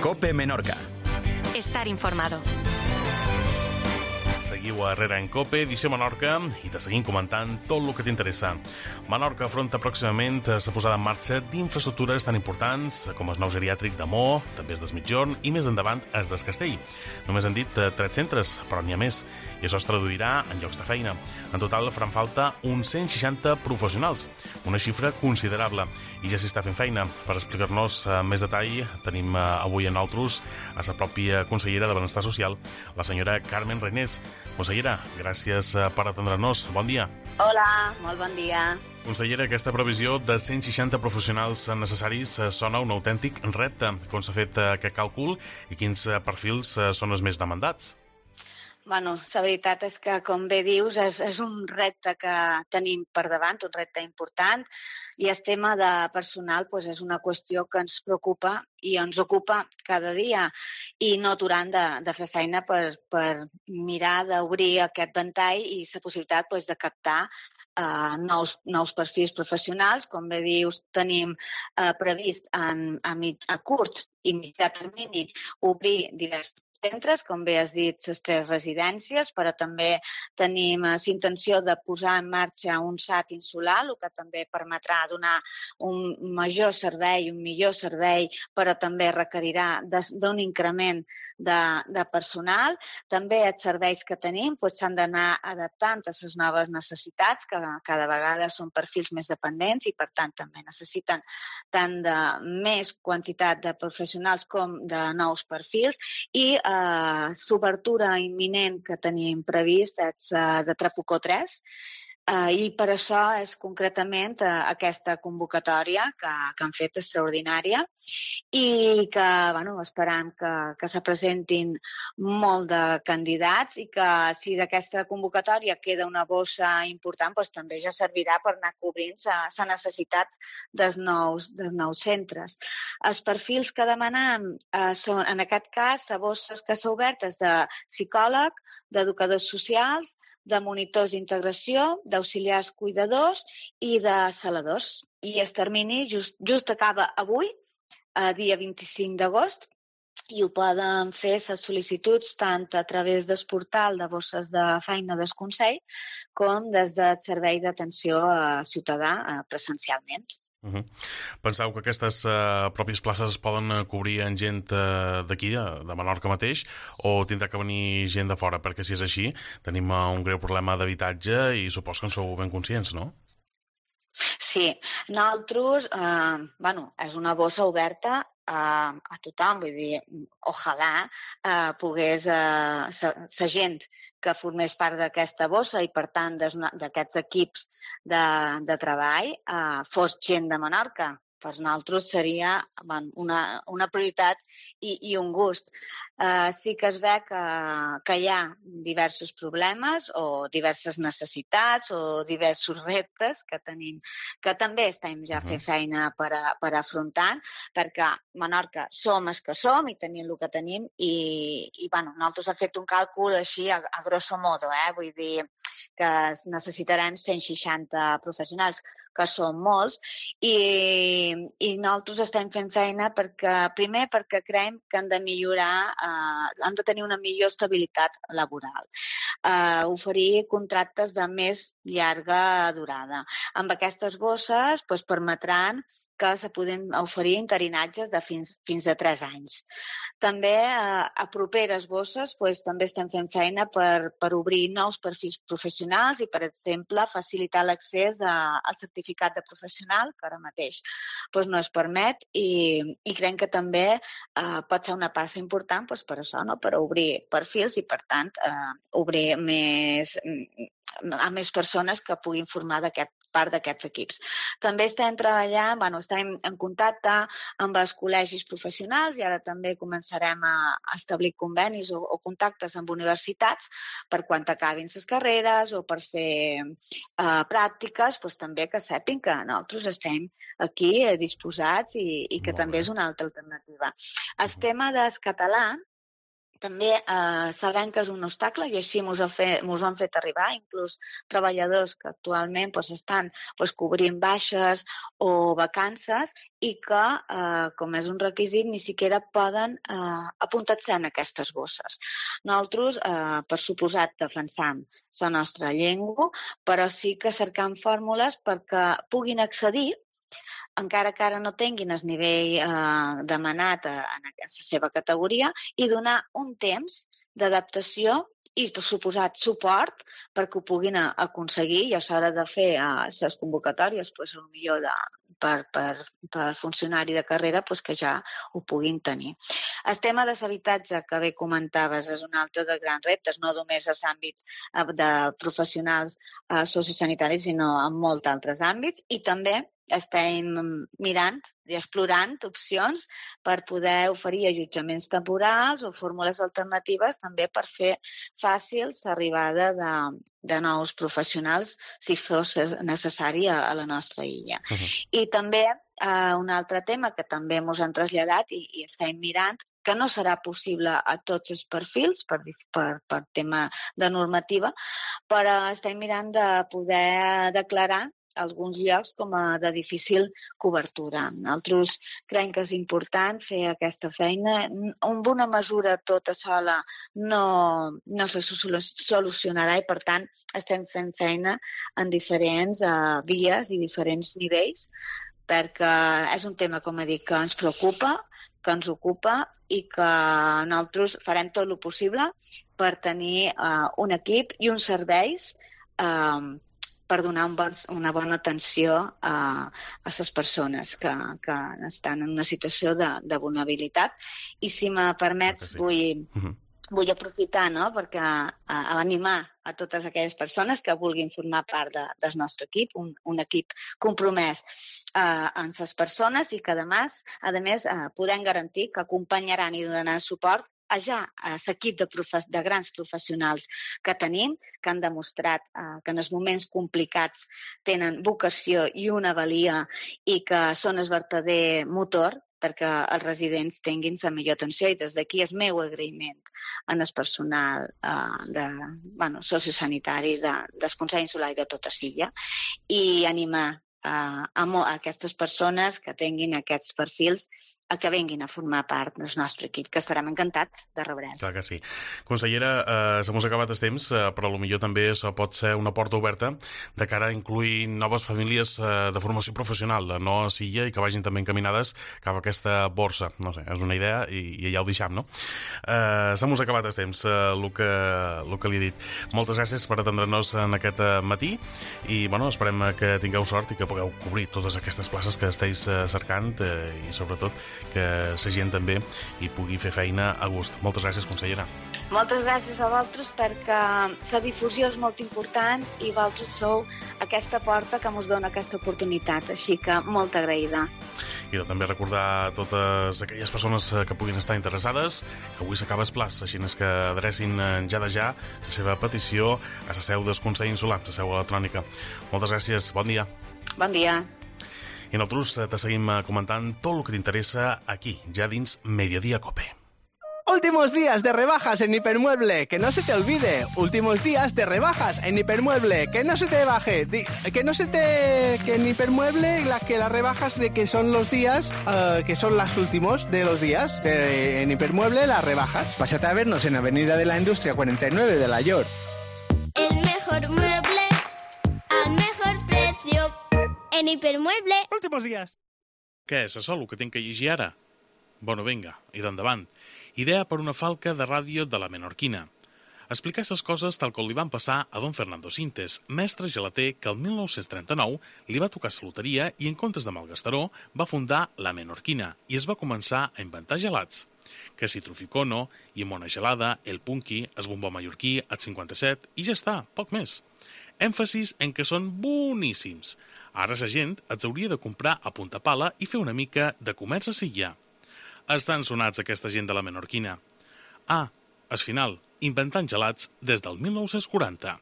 COPE Menorca. Estar informado. Seguiu a Herrera en COPE, edició Menorca, i te seguim comentant tot el que t'interessa. Menorca afronta pròximament la posada en marxa d'infraestructures tan importants com el nou geriàtric de Mo, també el d'Esmitjorn i més endavant el del Castell. Només han dit 3 centres, però n'hi ha més, i això es traduirà en llocs de feina. En total faran falta uns 160 professionals, una xifra considerable, i ja s'hi està fent feina. Per explicar-nos més detall tenim avui en nosaltres a la pròpia consellera de Benestar Social, la senyora Carmen Reinés. Consellera, gràcies per atendre-nos. Bon dia. Hola, molt bon dia. Consellera, aquesta previsió de 160 professionals necessaris sona un autèntic repte. Com s'ha fet aquest càlcul i quins perfils són els més demandats? Bueno, la veritat és que, com bé dius, és un repte que tenim per davant, un repte important, i el tema de personal és una qüestió que ens preocupa i ens ocupa cada dia, i no aturant de fer feina per mirar d'obrir aquest ventall i la possibilitat de captar nous perfils professionals. Com bé dius, tenim previst a curt i mitjà termini obrir diversos centres, com bé has dit, les 3 residències, però també tenim l'intenció de posar en marxa un SAT insular, el que també permetrà donar un major servei, un millor servei, però també requerirà d'un increment de personal. També els serveis que tenim s'han d'anar adaptant a les noves necessitats, que cada vegada són perfils més dependents i, per tant, també necessiten tant de més quantitat de professionals com de nous perfils, i l'obertura imminent que tenim previst és de Trabucó 3, i per això és concretament aquesta convocatòria que han fet extraordinària, i que esperam que se presentin molt de candidats, i que si d'aquesta convocatòria queda una bossa important, també ja servirà per anar cobrint la necessitat dels nous centres. Els perfils que demanem són, en aquest cas, les bosses que s'han obert és de psicòleg, d'educadors socials, de monitors d'integració, d'auxiliars cuidadors i de saladors. I el termini just acaba avui, dia 25 d'agost, i ho poden fer les sol·licituds tant a través del portal de bosses de feina del Consell com des del servei d'atenció ciutadà presencialment. Penseu que aquestes pròpies places es poden cobrir amb gent d'aquí, de Menorca mateix, o tindrà que venir gent de fora? Perquè si és així, tenim un greu problema d'habitatge i supos que en sou ben conscients, no? Sí, nosaltres, és una bossa oberta a tothom, vull dir, ojalà pogués la gent que formés part d'aquesta bossa i, per tant, d'aquests equips de treball fos gent de Menorca. Per nosaltres seria una prioritat i un gust. Sí que es ve que hi ha diversos problemes o diverses necessitats o diversos reptes que tenim, que també estem ja fent feina per afrontar, perquè Menorca som els que som i tenim el que tenim, i nosaltres hem fet un càlcul així a grosso modo, vull dir que necessitarem 160 professionals, que són molts, i nosaltres estem fent feina primer perquè creiem que han de millorar, han de tenir una millor estabilitat laboral, oferir contractes de més llarga durada. Amb aquestes bosses permetran que se poden oferir interinatges de fins a 3 anys. També a properes bosses també estem fent feina per obrir nous perfils professionals i, per exemple, facilitar l'accés al certificat de professional, que ara mateix no es permet, i creiem que també pot ser una passa important per això, per obrir perfils i, per tant, obrir a més persones que puguin formar part d'aquests equips. També estem treballant, estem en contacte amb els col·legis professionals, i ara també començarem a establir convenis o contactes amb universitats per quan acabin les carreres o per fer pràctiques, també que sàpiguen que nosaltres estem aquí disposats i que també és una altra alternativa. El tema del català també sabem que és un obstacle i així mos ho han fet arribar, inclús treballadors que actualment estan cobrint baixes o vacances i que, com és un requisit, ni siquiera poden apuntar-se en aquestes bosses. Nosaltres, per suposat, defensam la nostra llengua, però sí que cercam fórmules perquè puguin accedir encara que ara no tinguin el nivell demanat en la seva categoria, i donar un temps d'adaptació i, per suposat, suport perquè ho puguin aconseguir i a l'hora de fer les convocatòries, potser per funcionari de carrera, que ja ho puguin tenir. El tema de l'habitatge que bé comentaves és un altre dels grans reptes, no només als àmbits de professionals sociosanitaris, sinó en molts altres àmbits, i també estem mirant i explorant opcions per poder oferir allotjaments temporals o fórmules alternatives també per fer fàcil l'arribada de nous professionals si fos necessari a la nostra illa. I també un altre tema que també ens han traslladat i estem mirant, que no serà possible a tots els perfils per tema de normativa, però estem mirant de poder declarar alguns llocs com a de difícil cobertura. Nosaltres creiem que és important fer aquesta feina. Amb una mesura tota sola no se solucionarà i, per tant, estem fent feina en diferents vies i diferents nivells perquè és un tema, com he dit, que ens preocupa, que ens ocupa i que nosaltres farem tot el possible per tenir un equip i uns serveis per donar una bona atenció a les persones que estan en una situació de vulnerabilitat. I si me permets, vull aprofitar perquè animar a totes aquelles persones que vulguin formar part del nostre equip, un equip compromès amb les persones i que, a més, podem garantir que acompanyaran i donaran suport a l'equip de grans professionals que tenim, que han demostrat que en els moments complicats tenen vocació i una valia i que són el verdader motor perquè els residents tinguin la millor atenció, i des d'aquí el meu agraïment en el personal sociosanitari del Consell Insular i de tota l'illa, i animar a aquestes persones que tinguin aquests perfils a que vinguin a formar part del nostre equip, que estarem encantats de rebre'ls. Clar que sí. Consellera, se mos ha acabat el temps, però potser també pot ser una porta oberta de cara a incluir noves famílies de formació professional, no a Silla, i que vagin també encaminades cap a aquesta borsa. No sé, és una idea i ja ho deixam, no? Se mos ha acabat el temps, el que li he dit. Moltes gràcies per atendre'ns en aquest matí i, esperem que tingueu sort i que pugueu cobrir totes aquestes places que esteu cercant i, sobretot, que la gent també hi pugui fer feina a gust. Moltes gràcies, consellera. Moltes gràcies a vosaltres perquè la difusió és molt important i vosaltres sou aquesta porta que ens dona aquesta oportunitat, així que molt agraïda. I també recordar a totes aquelles persones que puguin estar interessades que avui s'acaba el plaç, així que adrecin ja de ja la seva petició a la seu del Consell Insular, la seu electrònica. Moltes gràcies, bon dia. Bon dia. I nosaltres te seguim comentant tot el que t'interessa aquí, ja dins Mediodía Cope. Últimos días de rebajas en Hipermueble, que no se te olvide. Últimos días de rebajas en Hipermueble, que no se te baje. Que en Hipermueble que las rebajas de que son los días, que son los últimos de los días. En Hipermueble las rebajas. Pásate a vernos en Avenida de la Industria 49 de La York. El mejor mueble al mejor precio. En Hipermueble. Últimos días. Què és això, el que tinc que llegir ara? Bueno, vinga, i d'endavant. Idea per una falca de ràdio de la Menorquina. Explicar les coses tal com li van passar a don Fernando Sintes, mestre gelater que el 1939 li va tocar la loteria i en comptes de malgastaró va fundar la Menorquina i es va començar a inventar gelats. Que si Truficono, Llimona Gelada, el Punky, el bombó mallorquí, el 57 i ja està, poc més. Èmfasis en que són boníssims. Ara la gent els hauria de comprar a punta pala i fer una mica de comerç a Silla. Estan sonats aquesta gent de la Menorquina. Al final, inventant gelats des del 1940.